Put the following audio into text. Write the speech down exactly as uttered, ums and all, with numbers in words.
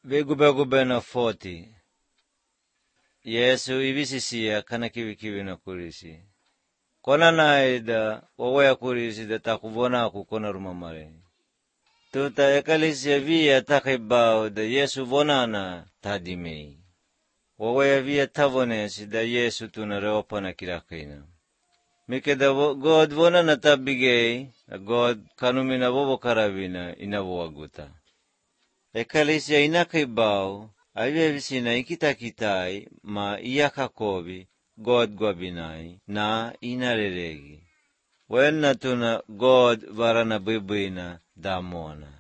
Vigube-gube na forty. Yesu ivisisia kana kiwi-kiwi na kurisi. Kona naida wawaya kurisi da takuvona kukona rumamare. Tuta ekalisia via takibao da Yesu vonana tadimei. Wawaya via tavonesi da Yesu tunareopa na kirakina. Mike da God vonana tabigei, God kanumina vovo karavina inavoaguta. Ekalisia inakibao, aviavisina ikitakitai ma iyakakovi God gwabinai na inareregi. Wenna tuna God varana bibuina damona.